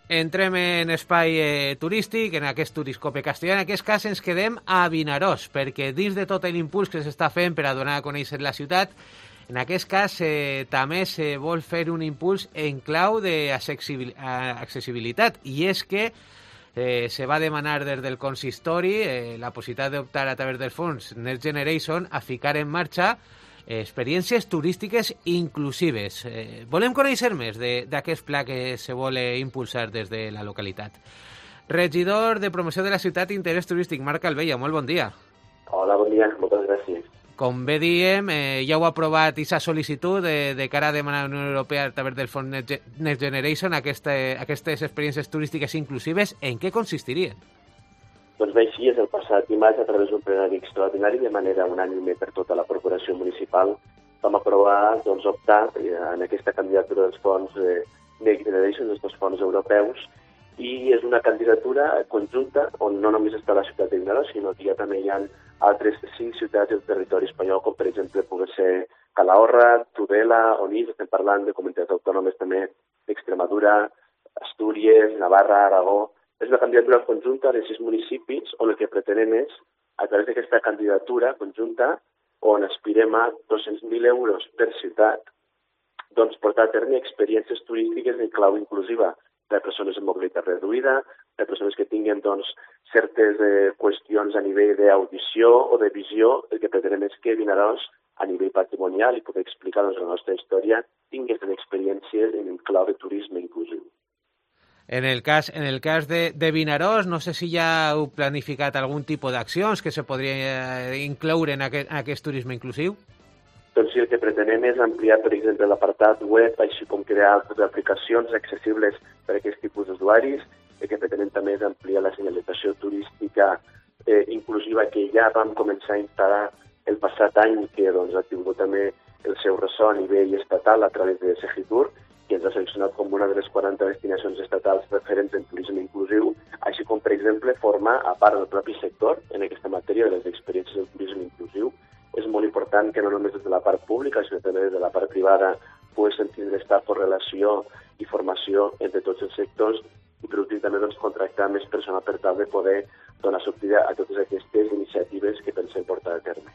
Entrem en espai turístic, en aquest Turiscope Castellà. En aquest cas ens quedem a Vinaròs, perquè dins de tot l'impuls que s'està fent per a donar a conèixer la ciutat, en aquest cas també se vol fer un impuls en clau d'accessibilitat, i és que se va demanar des del consistori la possibilitat d'optar a través dels fons Next Generation a ficar en marxa experiències turístiques inclusives. Volem conèixer més d'aquest pla que se vol impulsar des de la localitat. Regidor de Promoció de la Ciutat i Interès Turístic, Marc Calvella, molt bon dia. Hola, bon dia, moltes gràcies. Com bé diem, ja heu aprovat aquesta sol·licitud de cara a demanar a la Unió Europea a través del fons Next Generation aquestes experiències turístiques inclusives. En què consistirien? Doncs bé, així és, el passat dimarts, a través d'un plenari extraordinari, de manera unànime per tota la corporació municipal, vam aprovar optar en aquesta candidatura dels fons Next Generation, dels fons europeus, i és una candidatura conjunta on no només està la ciutat de Vinaròs, sinó que també hi ha altres 5 ciutats del territori espanyol, com per exemple pugui ser Calahorra, Tudela, Onís, estem parlant de comunitats autònomes també d'Extremadura, Astúries, Navarra, Aragó. És una candidatura conjunta de 6 municipis on el que pretenem és, a través d'aquesta candidatura conjunta, on aspirem a 200.000 euros per ciutat, portar a terme experiències turístiques en clau inclusiva per a persones amb mobilitat reduïda, per a persones que tinguin certes qüestions a nivell d'audició o de visió. El que pretenem és que Vinaròs, a nivell patrimonial, i poder explicar la nostra història, tinguin experiències en clau de turisme inclusiu. En el cas de Vinaròs, no sé si ja heu planificat algun tipus d'accions que se podria incloure en aquest turisme inclusiu? Doncs sí, el que pretenem és ampliar, per exemple, l'apartat web, així com crear aplicacions accessibles per a aquest tipus d'usuaris. El que pretenem també és ampliar la senyalització turística inclusiva que ja vam començar a instal·lar el passat any, que ha tingut també el seu ressò a nivell estatal a través de Segitur, que ens ha seleccionat com una de les 40 destinacions estatals referents en turisme inclusiu, així com, per exemple, formar a part del propi sector en aquesta matèria de les experiències del turisme inclusiu. És molt important que no només des de la part pública, sinó també des de la part privada poguessin tindre aquesta correlació i formació entre tots els sectors, i per últim també contractar més personal per tal de poder donar sortida a totes aquestes iniciatives que pensem portar a terme.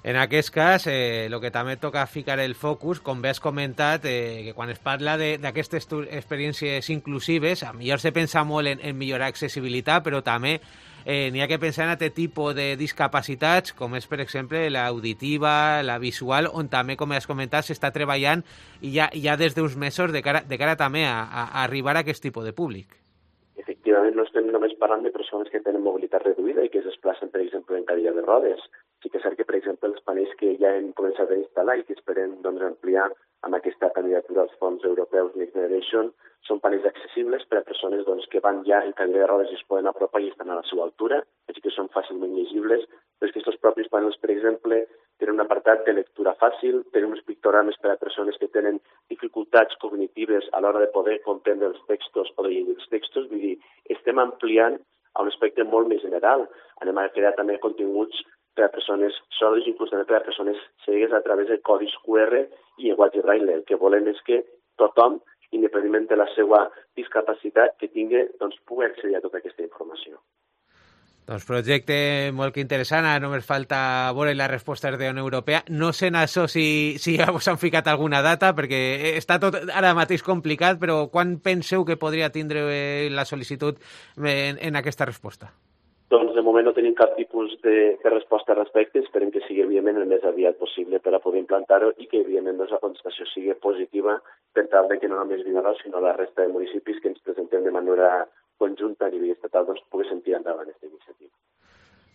En aquest cas, el que també toca ficar el focus, com bé has comentat, que quan es parla d'aquestes experiències inclusives, a millor se pensa molt en millorar accessibilitat, però també n'hi ha que pensar en aquest tipus de discapacitats, com és, per exemple, l'auditiva, la visual, on també, com has comentat, s'està treballant i ja des d'uns mesos de cara també a arribar a aquest tipus de públic. Efectivament, no estem només parlant de persones que tenen mobilitat reduïda i que es desplacen, per exemple, en cadira de rodes. Sí que és cert que, per exemple, els panells que ja hem començat a instal·lar i que esperem ampliar amb aquesta candidatura als fons europeus Next Generation són panells accessibles per a persones que van ja en cadira de rodes i es poden apropar i estan a la seva altura, així que són fàcilment llegibles, però és que aquests propis panells, per exemple, tenen un apartat de lectura fàcil, tenen uns pictogrames per a persones que tenen dificultats cognitives a l'hora de poder comprendre els textos o de llegir els textos. Vull dir, estem ampliant a un aspecte molt més general. Anem a crear també continguts per a persones sordes, inclús també per a persones cegues a través de codis QR i llenguatge braille. El que volem és que tothom, independentment de la seva discapacitat que tingui, pugui accedir a tota aquesta informació. Doncs projecte molt interessant, ara només falta veure les respostes de la Unió Europea. No sé en això si ja us han ficat alguna data, perquè està tot ara mateix complicat, però quan penseu que podria tindre la sol·licitud en aquesta resposta? Doncs de moment no tenim cap tipus de resposta al respecte. Esperem que sigui, evidentment, el més aviat possible per a poder implantar-ho i que, evidentment, la contestació sigui positiva per tal de que no només Vinaròs, sinó la resta de municipis que ens presentem de manera conjunta a nivell estatal poguessin tirar endavant aquesta iniciativa.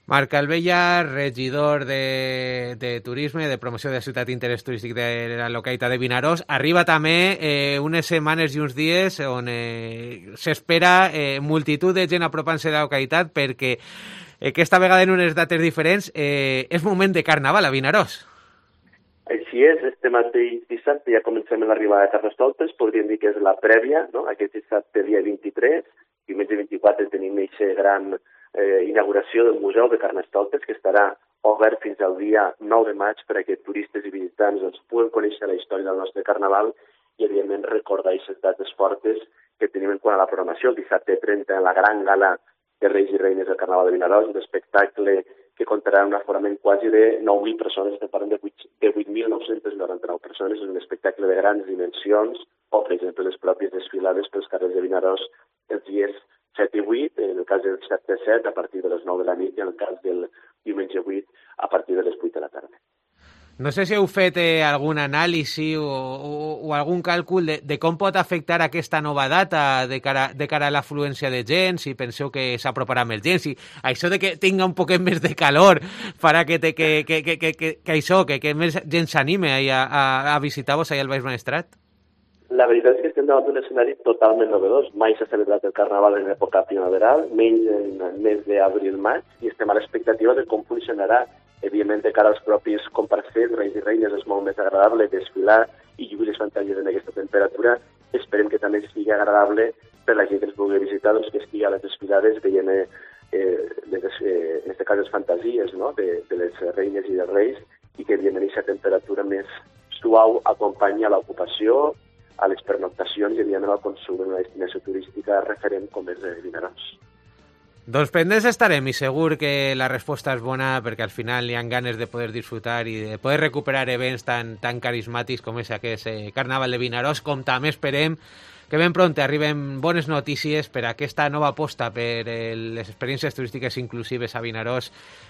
Marc Calvella, regidor de Turisme, de Promoció de la Ciutat i Interès Turístic de la localitat de Vinaròs. Arriba també unes setmanes i uns dies on s'espera multitud de gent apropant-se a la localitat perquè aquesta vegada en unes dates diferents és moment de Carnaval a Vinaròs. Així és, este mateix dissabte ja comencem l'arribada de Carnestoltes, podríem dir que és la prèvia, no? Aquest dissabte dia 23, diumenge 24 tenim aquesta gran inauguració del Museu de Carnestoltes, que estarà obert fins al dia 9 de maig per a que turistes i visitants puguen conèixer la història del nostre Carnaval, i, evidentment, recordar aquestes dates fortes que tenim en quant a la programació. El dissabte 30, en la gran gala de Reis i Reines del Carnaval de Vinaròs, un espectacle que comptarà amb un aforament quasi de 9.000 persones, estem parlant de 8.999 persones, és un espectacle de grans dimensions, o, per exemple, les pròpies desfilades pels carrers de Vinaròs els dies 7 i 8, en el cas del dissabte 7 a partir de les 9 de la nit i en el cas del diumenge 8 a partir de les 8 de la tarda. No sé si heu fet algun anàlisi o algun càlcul de com pot afectar aquesta nova data de cara a l'afluència de gent, si penseu que s'aproparà més gent, si això de que tinga un poquet més de calor farà que més gent s'anime a visitar-vos allà al Baix Maestrat? La veritat és que estem davant d'un escenari totalment novedós. Mai s'ha celebrat el Carnaval en època primaveral, menys en el mes d'abril-maig, i estem a l'expectativa de com funcionarà. Evidentment, de cara als propis comparsers, Reis i Reines, és molt més agradable desfilar i lluir les fantasia en aquesta temperatura. Esperem que també sigui agradable per la gent que ens pugui visitar, doncs que estigui a les desfilades veient, en aquest cas, les fantasies, no?, de les reines i dels reis, i que, evidentment, aquesta temperatura més suau acompanyi a l'ocupació, a les pernoctacions i, evidentment, al consum en una destinació turística referent com és Vinaròs. Doncs pendents estarem i segur que la resposta és bona perquè al final hi ha ganes de poder disfrutar i de poder recuperar events tan carismàtics com és aquest Carnaval de Vinaròs, com també esperem que ben pront arriben bones notícies per a aquesta nova aposta per les experiències turístiques inclusives a Vinaròs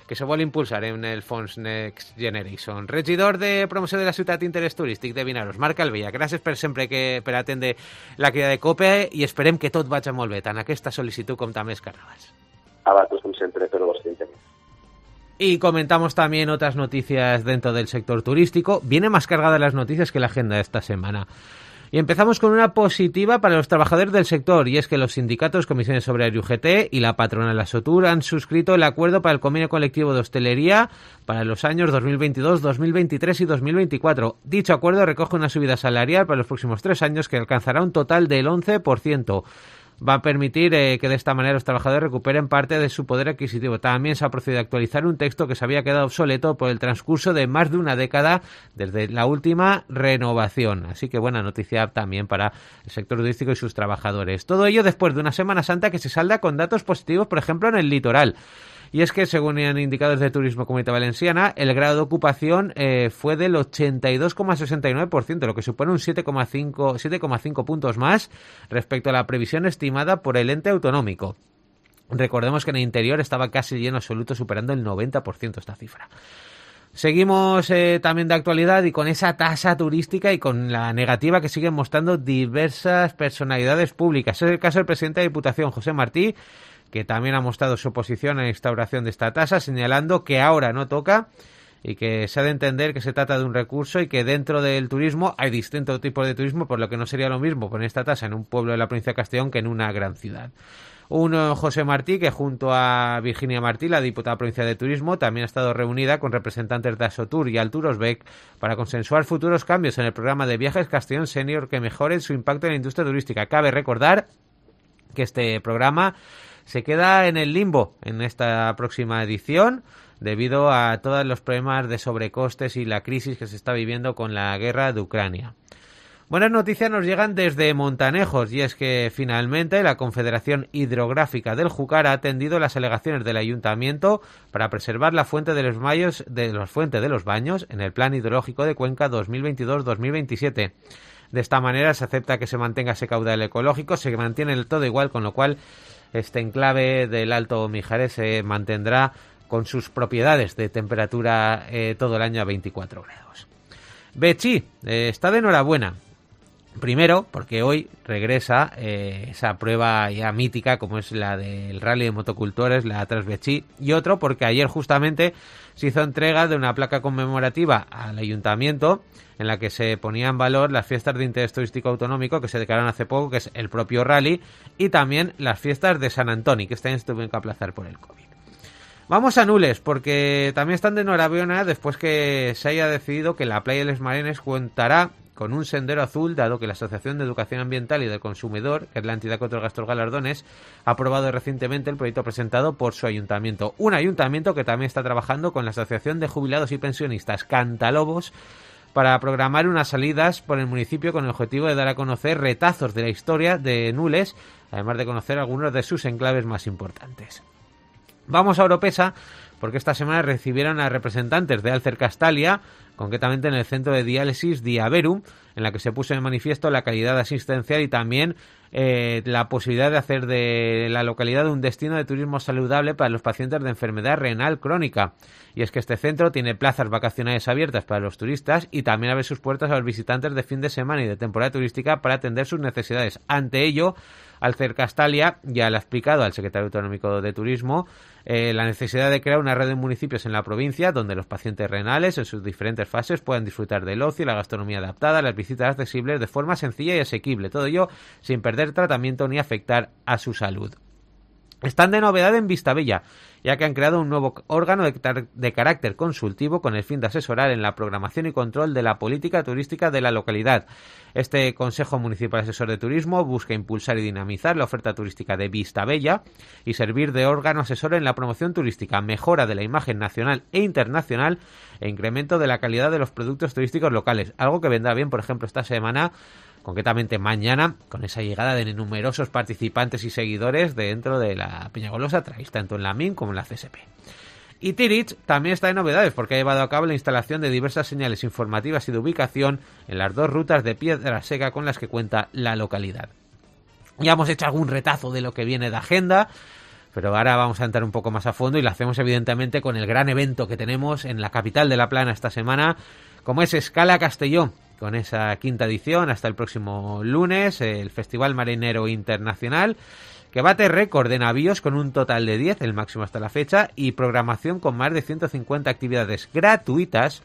que se vol impulsar en el fons Next Generation. Regidor de Promoció de la Ciutat Interès Turístic de Vinaròs, Marc Calvella, gràcies per sempre per atendre la crida de COPE i esperem que tot vagi molt bé, tant aquesta sol·licitud com també els carnavals. A vosotros, como siempre, por vuestro interés. Y comentamos también otras noticias dentro del sector turístico. Viene más cargada las noticias que la agenda de esta semana. Y empezamos con una positiva para los trabajadores del sector, y es que los sindicatos Comisiones Obreras y UGT y la patronal Asotur han suscrito el acuerdo para el convenio colectivo de hostelería para los años 2022, 2023 y 2024. Dicho acuerdo recoge una subida salarial para los próximos 3 años que alcanzará un total del 11%. Va a permitir que de esta manera los trabajadores recuperen parte de su poder adquisitivo. También se ha procedido a actualizar un texto que se había quedado obsoleto por el transcurso de más de una década desde la última renovación. Así que buena noticia también para el sector turístico y sus trabajadores. Todo ello después de una Semana Santa que se salda con datos positivos, por ejemplo, en el litoral. Y es que, según han indicado desde Turismo Comunidad Valenciana, el grado de ocupación fue del 82,69%, lo que supone un 7,5 puntos más respecto a la previsión estimada por el ente autonómico. Recordemos que en el interior estaba casi lleno absoluto, superando el 90% esta cifra. Seguimos también de actualidad y con esa tasa turística y con la negativa que siguen mostrando diversas personalidades públicas. Es el caso del presidente de la Diputación, José Martí, que también ha mostrado su oposición a la instauración de esta tasa, señalando que ahora no toca y que se ha de entender que se trata de un recurso y que dentro del turismo hay distintos tipos de turismo, por lo que no sería lo mismo poner esta tasa en un pueblo de la provincia de Castellón que en una gran ciudad. José Martí, que junto a Virginia Martí, la diputada provincial de Turismo, también ha estado reunida con representantes de Asotur y Alturosbec para consensuar futuros cambios en el programa de viajes Castellón Senior que mejoren su impacto en la industria turística. Cabe recordar que este programa se queda en el limbo en esta próxima edición debido a todos los problemas de sobrecostes y la crisis que se está viviendo con la guerra de Ucrania. Buenas noticias nos llegan desde Montanejos, y es que finalmente la Confederación Hidrográfica del Júcar ha atendido las alegaciones del Ayuntamiento para preservar la fuente de los baños en el Plan Hidrológico de Cuenca 2022-2027. De esta manera se acepta que se mantenga ese caudal ecológico, se mantiene el todo igual, con lo cual este enclave del Alto Mijares se mantendrá con sus propiedades de temperatura todo el año a 24 grados. Betxí está de enhorabuena. Primero, porque hoy regresa esa prueba ya mítica como es la del Rally de Motocultores, la Transbetxí, y otro porque ayer justamente se hizo entrega de una placa conmemorativa al Ayuntamiento en la que se ponía en valor las fiestas de interés turístico autonómico que se declararon hace poco, que es el propio Rally, y también las fiestas de San Antoni, que este año se tuvieron que aplazar por el COVID. Vamos a Nules, porque también están de enhorabuena después que se haya decidido que la playa de Les Marenes contará con un sendero azul, dado que la Asociación de Educación Ambiental y del Consumidor, que es la entidad que otorga estos galardones, ha aprobado recientemente el proyecto presentado por su ayuntamiento. Un ayuntamiento que también está trabajando con la Asociación de Jubilados y Pensionistas Cantalobos para programar unas salidas por el municipio con el objetivo de dar a conocer retazos de la historia de Nules, además de conocer algunos de sus enclaves más importantes. Vamos a Oropesa, porque esta semana recibieron a representantes de Alcer Castalia, concretamente en el centro de diálisis Diaverum, en la que se puso en manifiesto la calidad asistencial y también la posibilidad de hacer de la localidad un destino de turismo saludable para los pacientes de enfermedad renal crónica. Y es que este centro tiene plazas vacacionales abiertas para los turistas y también abre sus puertas a los visitantes de fin de semana y de temporada turística para atender sus necesidades. Ante ello, Alcer Castalia ya le ha explicado al secretario autonómico de Turismo la necesidad de crear una red de municipios en la provincia donde los pacientes renales en sus diferentes fases puedan disfrutar del ocio y la gastronomía adaptada, las visitas accesibles de forma sencilla y asequible, todo ello sin perder tratamiento ni afectar a su salud. Están de novedad en Vistabella, ya que han creado un nuevo órgano de carácter consultivo con el fin de asesorar en la programación y control de la política turística de la localidad. Este Consejo Municipal Asesor de Turismo busca impulsar y dinamizar la oferta turística de Vistabella y servir de órgano asesor en la promoción turística, mejora de la imagen nacional e internacional e incremento de la calidad de los productos turísticos locales, algo que vendrá bien, por ejemplo, esta semana, concretamente mañana, con esa llegada de numerosos participantes y seguidores dentro de la Peñagolosa Trail, tanto en la MIN como en la CSP. Y Tirich también está en novedades porque ha llevado a cabo la instalación de diversas señales informativas y de ubicación en las dos rutas de piedra seca con las que cuenta la localidad. Ya hemos hecho algún retazo de lo que viene de agenda, pero ahora vamos a entrar un poco más a fondo y lo hacemos evidentemente con el gran evento que tenemos en la capital de La Plana esta semana, como es Escala Castelló, con esa quinta edición hasta el próximo lunes, el Festival Marinero Internacional, que bate récord de navíos con un total de 10, el máximo hasta la fecha, y programación con más de 150 actividades gratuitas,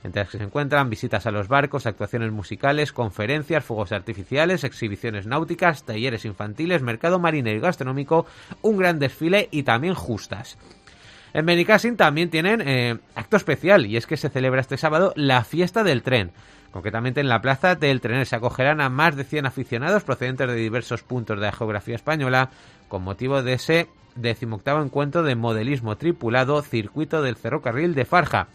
entre las que se encuentran visitas a los barcos, actuaciones musicales, conferencias, fuegos artificiales, exhibiciones náuticas, talleres infantiles, mercado marinero y gastronómico, un gran desfile y también justas. En Benicàssim también tienen acto especial, y es que se celebra este sábado la Fiesta del Tren. Concretamente en la Plaza del Trener se acogerán a más de 100 aficionados procedentes de diversos puntos de la geografía española con motivo de ese 18º encuentro de modelismo tripulado Circuito del Ferrocarril de Farja.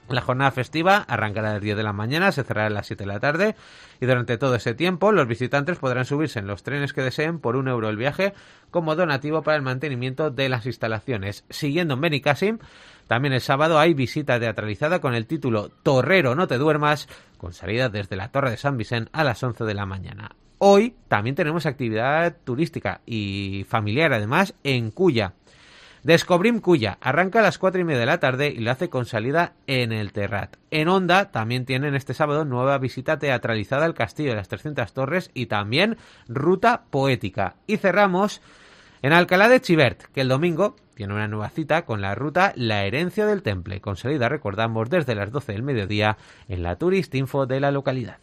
La jornada festiva arrancará a las 10 de la mañana, se cerrará a las 7 de la tarde y durante todo ese tiempo los visitantes podrán subirse en los trenes que deseen por €1 el viaje como donativo para el mantenimiento de las instalaciones. Siguiendo en Benicàssim, también el sábado hay visita teatralizada con el título Torrero, no te duermas, con salida desde la Torre de San Vicent a las 11 de la mañana. Hoy también tenemos actividad turística y familiar además en Culla. Descobrim Culla arranca a las 4:30 de la tarde y lo hace con salida en el Terrat. En Onda también tienen este sábado nueva visita teatralizada al Castillo de las 300 Torres y también ruta poética. Y cerramos en Alcalá de Xivert, que el domingo tiene una nueva cita con la ruta La Herencia del Temple, con salida, recordamos, desde las 12 del mediodía en la Turistinfo de la localidad.